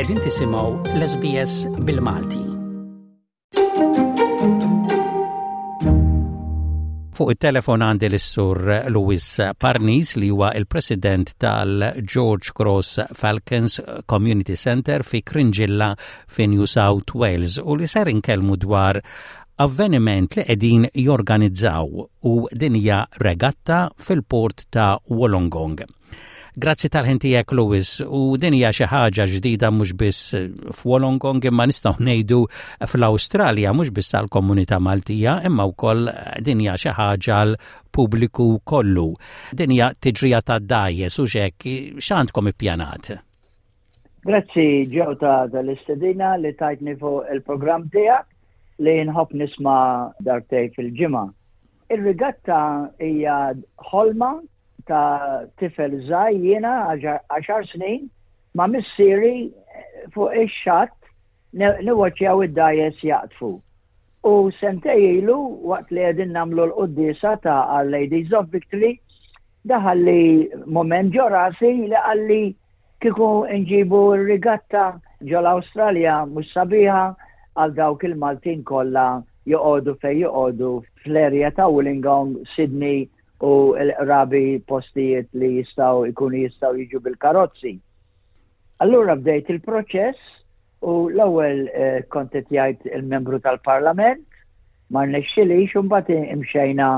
Qegħdin tisimgħu l-SBS bil-Malti. Fuq it-telefon għandi l-Sur Louis Parnis li huwa il-President tal-George Cross Falcons Community Center fi Kringilla fi New South Wales u li ser inkellmu dwar avveniment li qegħdin jorganizzaw u din hija regatta fil-port ta' Wollongong. Grazzi tal-ħin tiegħek Lewis u din hija xi ħaġa ġdida mhux biss f'Wollongong imma nistgħu ngħidu fl-Awstralja mhux biss għall-komunità Maltija imma wkoll din hija xi ħaġa għal pubbliku kollu. Din hija tiġrija ta' dgħajjes u x'hekk x'għandkom ippjanat? Grazzi ġew ta' tal-istedina li tajtni fuq il-programm tiegħek li nħobb nisma' darbtej fil-ġimgħa. Ir-rigatta hija ħolma ta' tifel żgħir jiena għaxar snin ma' missieri fuq ix-xatt niwaċċjaw id-dajes jaqtfu. U sentej ilu waqt li qegħdin nagħmlu l-quddiesa ta' Our Ladies of Victory, daħalli moment ġo rasi li qalli kieku nġibu r-rigatta ġol-Awstralja mhux sabiħa għal dawk il-Maltin kollha joqogħdu fejn joqogħdu fl-erja ta' Wollongong, Sydney u l-qrabi postijiet li jistgħu jkunu jistgħu jiġu bil-karozzi. Allura bdejt il-proċess u l-ewwel eh, kont qed jgħid il-membru tal-Parlament, ma rnexxilix u mbagħad imxejna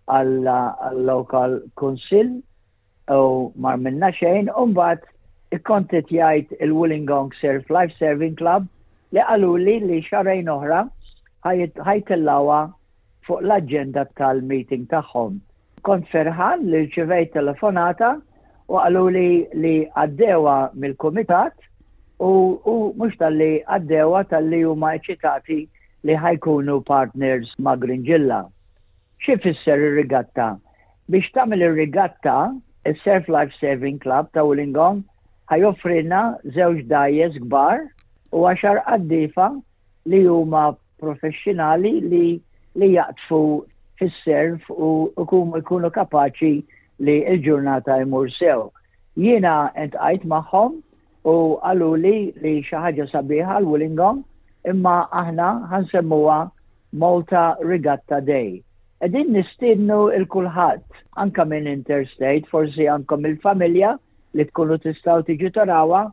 għall-local council u ma minna xejn u mbagħad kont qed jgħid il-Wollongong Surf Life Serving Club li qaluli li xarejn oħra ħajtellawha fuq l-aġenda tal-meeting tagħhom. Kont ferħan li rċivejt telefonata u qaluli li għaddewha mill-kumitat u, u mhux talli għaddewha talli huma eċitati li ħajkunu partners ma' Gringilla. Xi fisser ir-rigatta? Biex tagħmel ir-rigatta, is-Surf Life Saving Club ta' Wollongong ħajoffrilna żewġ dgħajjes kbar u għaxar qaddiefa li huma professjonali li li jaqdfu fis-serf u jkunu jkunu kapaċi li l-ġurnata jmur sew. Jiena intqajt magħhom u qaluli li xi ħaġa sabiħa l-Wollongong imma aħna ħansemmuha Malta Regatta Day. Qegħdin nistiednu il kulħadd anka minn interstate, forsi għandkom il-familja li tkunu tistgħu tiġu tarawha,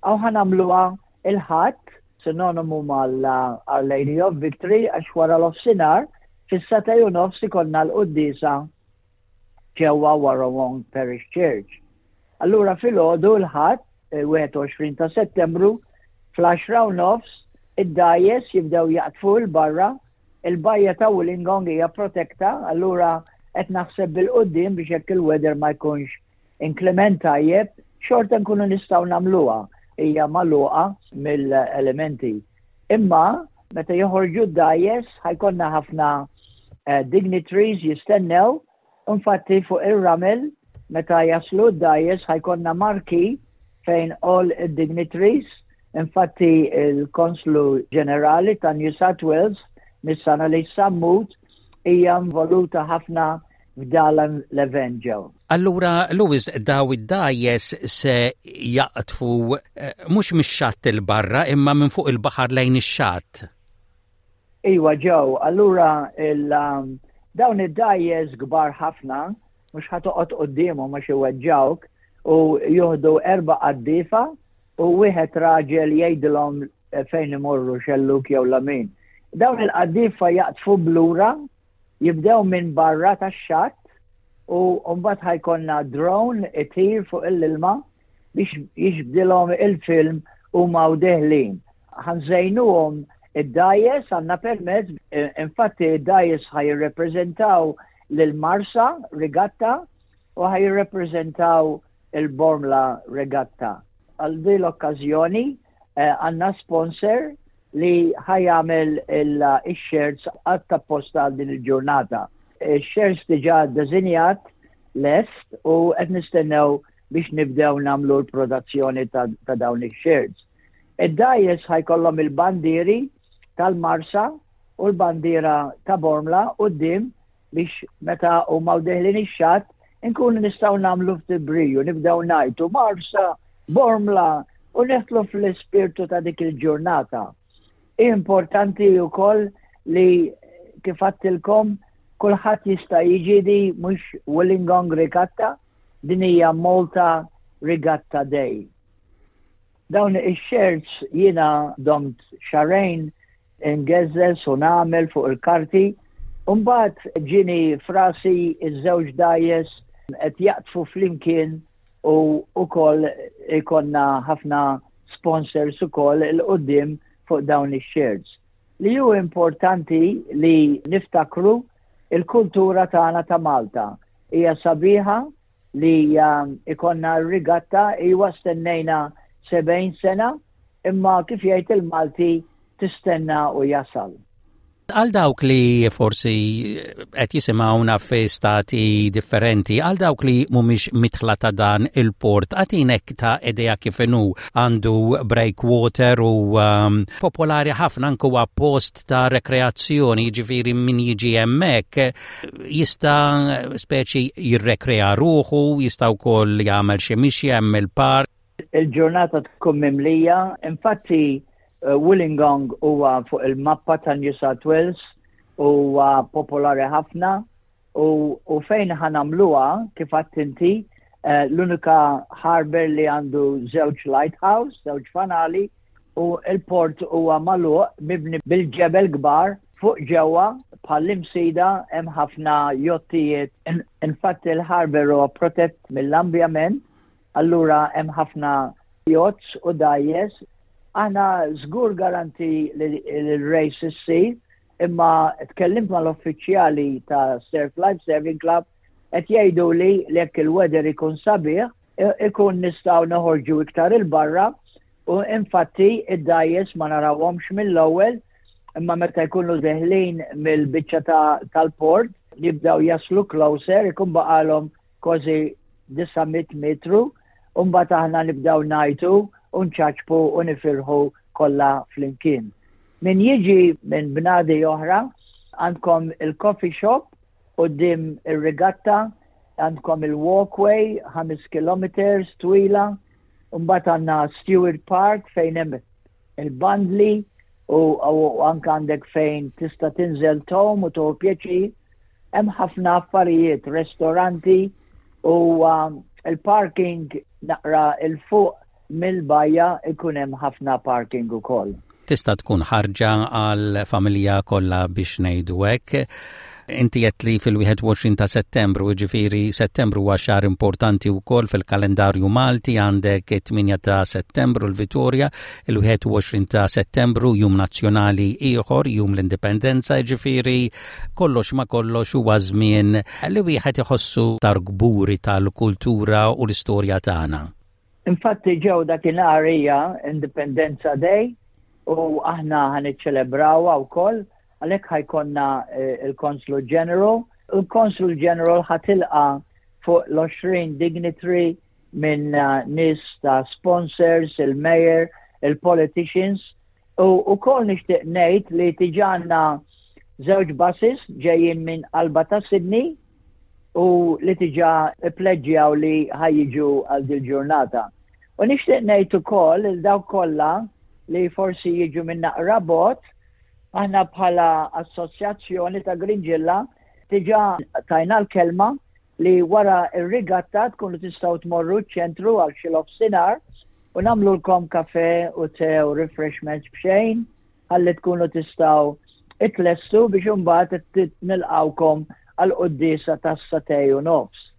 aw ħanamluha Il-Ħadd, sinonimu mal-Our Lady of Victory għax wara l-ofsinhar, fis-sagħtej u nofs ikollna l-quddiesa ġewwa Warrawong Parish Church. Allura filgħodu l-Ħadd, 21 ta' Settembru, fl-10 u nofs, id-dgħajjes jibdew jaqdfu 'l barra, il-bajja ta' Wollongong hija protekta, allura qed naħseb bil-quddiem biex jekk il-weather ma jkunx Inclement tajjeb, xorta nkunu nistgħu nagħmluha, hija magħluqa mill-elementi. Imma meta joħorġu d-dgħajjes ħajkonna ħafna eh, dignitaries jistennew, infatti fuq ir-ramel meta jaslu d-dgħajjes ħajkonna marki fejn all dignitaries, infatti il-Konslu Ġenerali ta' New South Wales, Miss Annalise Sammut, hija involuta ħafna f'dan l-event ġew. Allura, Louis, daw id-dgħajjes se jaqtfu eh, mhux mix-xatt il barra imma minn fuq il-baħar lejn ix-xatt. Iwa ġew, allura um, dawn id-dgħajjes kbar ħafna, mhux ħatoqgħod quddiemhom għax iweġġawk u juhdu erba' qaddifa u wieħed raġel jgħidilhom fejn imorru xelluk jew lamin. Dawn il-qaddifa jaqtfu blura Jibdew minn barra tax-xatt u mbagħad ħajkonna drone itir fuq l-ilma biex jiġbdilhom il-film huma u deħlin. Ħanżejnuhom id-dajes għandna permezz, infatti id-dajes ħaj jirrepreżentaw lil Marsa Regatta u ħaj jirrepreżentaw il-Bormla Regatta. Għal din l-okkażjoni eh, għandna sponsor li ħa jagħmel ix-shirts apposta għal din il-ġurnata. Ix-shirts diġà ddisinjat lest u qed nistennew biex nibdew nagħmlu l-produzzjoni ta' dawn ix-shirts. Id-dgħajjes ħajkollhom il-bandieri tal-Marsa u l-bandiera ta' Bormla quddiem biex meta huma deħlin ix-xatt inkunu nistgħu nagħmlu ftit briju, nibdew ngħidu Marsa, Bormla. u neħtlu fl-ispirtu ta' dik il-ġurnata. Importanti wkoll li kif għattilkom kulħadd jista' jiġi di mhux Wollongong Regatta, din hija Malta Regatta Day. Dawn ix-shirts jiena domt xarejn ingeżżeż u nagħmel fuq il-karti, u mbagħad ġieni f'rasi ż-żewġ dgħajjes qed jaqdfu flimkien u wkoll ikollna ħafna sponsors ukoll 'il quddiem fuq dawn ix-shirts. Li hu importanti li niftakru il-kultura tagħna ta' Malta hija sabiħa li ikollna r-rigatta iwa stennejna 70 sena imma kif jgħid il-Malti tistenna u jasal. Għal dawk li forsi qed jisimgħuna fi stati differenti, għal dawk li mhumiex mitħla ta' dan il-port, għatinek ta' idea kif inhu għandu breakwater u um, popolari ħafna anke huwa post ta' rekreazzjoni, jiġifieri min jiġi hemmhekk jista' speċi jirrekrea ruħu, jista' wkoll jagħmel xi mixja hemm il-park. Il-ġurnata tkun mimlija, infatti eh, Wollongong huwa fuq il-mappa ta' New South Wales huwa popolari ħafna u, u fejn ħanamluha kif għadt inti eh, l-unika harbor li għandu żewġ lighthouse, żewġ fanali, u l-port huwa magħluq mibni bil-ġebel kbar fuq ġewwa bħall-imsida hemm ħafna jottijiet. Infatti l-harbour huwa protett mill-ambjament, allura hemm ħafna yachts u dgħajjes. Aħna żgur garanti li l-race issir, imma tkellimt mal-uffiċjali ta' Surf Life Saving Club qed jgħidu li jekk il-weather ikun sabiħ, ikun nistgħu noħorġu iktar il-barra u infatti id-dgħajjes ma narawhomx mill-ewwel imma meta jkunu deħlin mill-biċċa tal-port jibdew jaslu closer ikun baqalhom kważi 900 metru u mbagħad aħna nibdew ngħajtu u nċaċpu u nifirħu kollha flimkien. Min jiġi minn bnadi oħra għandkom il-coffee shop Quddiem ir-regatta għandkom il-walkway 5 kilometers twila, u mbagħad għandna Stewart Park fejn hemm il-bandli u, u anke għandek fejn tista' tinżel tom u tieħu pjaċir. Hemm ħafna affarijiet, restoranti u um, il-parking naqra il fuq mill-bajja ikun hemm ħafna parking ukoll. Tista' tkun ħarġa għal familja kollha biex ngħidu hekk. Inti qed li fil-21 ta' Settembru, jiġifieri Settembru huwa xahar importanti wkoll fil-kalendarju Malti, għandek it-8 ta' Settembru l-Vitorja, il-21 ta' Settembru jum nazzjonali ieħor, jum l-Indipendenza, jiġifieri kollox ma kollox huwa żmien li wieħed iħossu tar kburi tal-kultura u l-istorja tagħna. Infatti ġew dakinhar hija Indipendenza Day u aħna ħa niċċelebrawha wkoll għalhekk ħajkonna eh, il-Consul General. Il-Consul General ħa tilqa' fuq l-20 dignitary minn eh, nies ta' sponsors, il-mayor, il-politicians. U wkoll nixtieq ngħid li tiġa għandna żewġ buses ġejjin minn qalba ta' Sydney u li tiġa ppleġġjaw li ħa jiġu għal dil-ġurnata. U nixtieq ngħid ukoll il dawk kollha li forsi jiġu minn naqra bot, aħna bħala assoċjazzjoni ta' Gringilla tiġa tajna l-kelma li wara ir-rigatta tkunu tistgħu tmorru ċ-ċentru għal xi nofsinhar u nagħmlulkom kafe u te u refreshments b'xejn ħalli tkunu tistgħu itlestu biex imbagħad nilqawkom għal quddiesa tas-satej u nofs.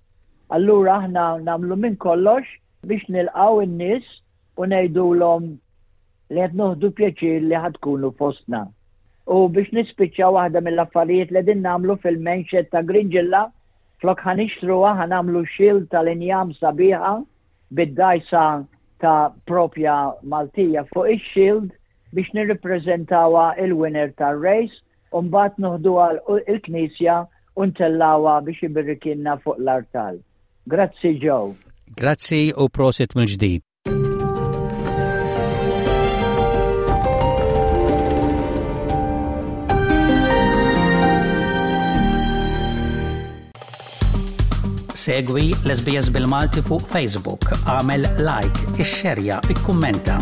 Allura aħna nagħmlu minn kollox biex nilqgħu in-nies u ngħidulhom li qed noħdu pjaċir li ħad tkunu fostna. U biex nispiċċa waħda mill-affarijiet li din nagħmlu fil-menxet ta' Gringilla, flok ħa nixtruha ħa nagħmlu shield tal-injam sabiħa bid-dajsa ta' propja Maltija fuq ix-shield biex nirrippreżentawha il-winner tar-race u mbagħad noħduha l-knisja u ntellgħuha biex ibirikilna fuq l-artal. Grazzi Joe. Grazzi u prosit mill-ġdid. Segwi l-SBS bil-Malti fuq Facebook, għamel like, ixxerja, ikkummenta.